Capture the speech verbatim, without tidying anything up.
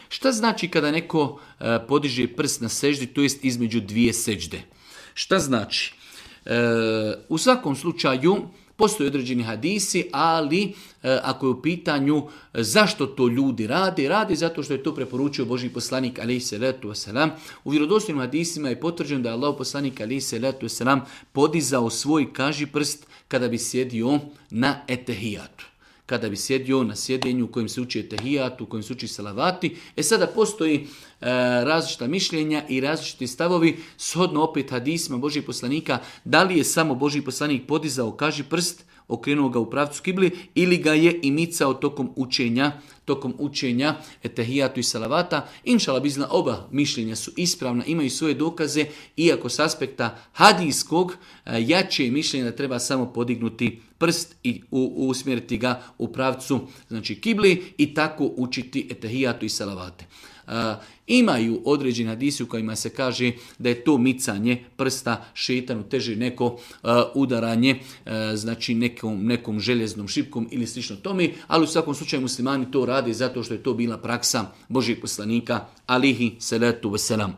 Šta znači kada neko e, podiže prst na seždi, to jest između dvije sežde? Šta znači? E, u svakom slučaju postoje određeni hadisi, ali e, ako je u pitanju e, zašto to ljudi rade, rade zato što je to preporučio Božji poslanik alejhi selatu vesselam. U vjerodostojnim hadisima je potvrđeno da je Allahov poslanik alejhi selatu vesselam podizao svoj kažiprst kada bi sjedio na etehijatu. Kada bi sjedio na sjedenju u kojem se uči etehijat, u kojem se uči salavati. E sada postoji e, različita mišljenja i različiti stavovi, shodno opet hadisima Božih poslanika, da li je samo Božji poslanik podizao kaži prst, okrenuo ga u pravcu kibli, ili ga je i micao tokom učenja, tokom učenja etehijatu i salavata. Inšala bizna, oba mišljenja su ispravna, imaju svoje dokaze, iako s aspekta hadijskog jače mišljenja da treba samo podignuti prst i usmjeriti ga u pravcu, znači kibli, i tako učiti etehijatu i salavate. Uh, imaju određeni hadisi u kojima se kaže da je to micanje prsta šejtanu teže neko uh, udaranje, uh, znači nekom, nekom željeznom šipkom ili slično tome, ali u svakom slučaju muslimani to rade zato što je to bila praksa Božjeg poslanika alejhi selatu vesselam.